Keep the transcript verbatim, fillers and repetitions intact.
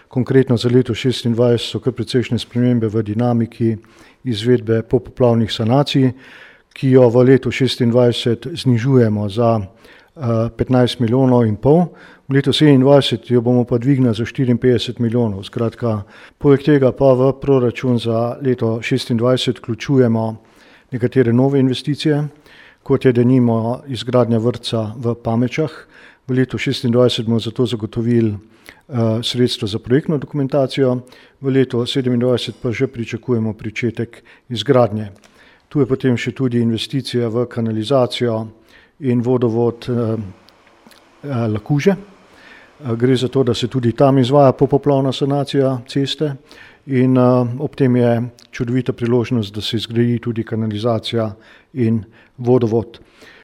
Konkretno za leto šestindvajset so kar precejšnje spremembe v dinamiki izvedbe popoplavnih sanacij, ki jo v letu šestindvajset znižujemo za petnajst milijonov in pol. V letu sedemindvajset jo bomo pa dvignili za štiriinpetdeset milijonov. Skratka, poleg tega pa v proračun za leto šestindvajset vključujemo nekatere nove investicije, kot je denimo izgradnja vrtca v Pamečah. V letu šestindvajset bomo zato zagotovili uh, sredstva za projektno dokumentacijo, v letu sedemindvajset pa že pričakujemo pričetek izgradnje. Tu je potem še tudi investicija v kanalizacijo in vodovod uh, uh, Lakuže. Uh, gre za to, da se tudi tam izvaja popoplavna sanacija ceste in uh, ob tem je čudovita priložnost, da se zgradi tudi kanalizacija in vodovod.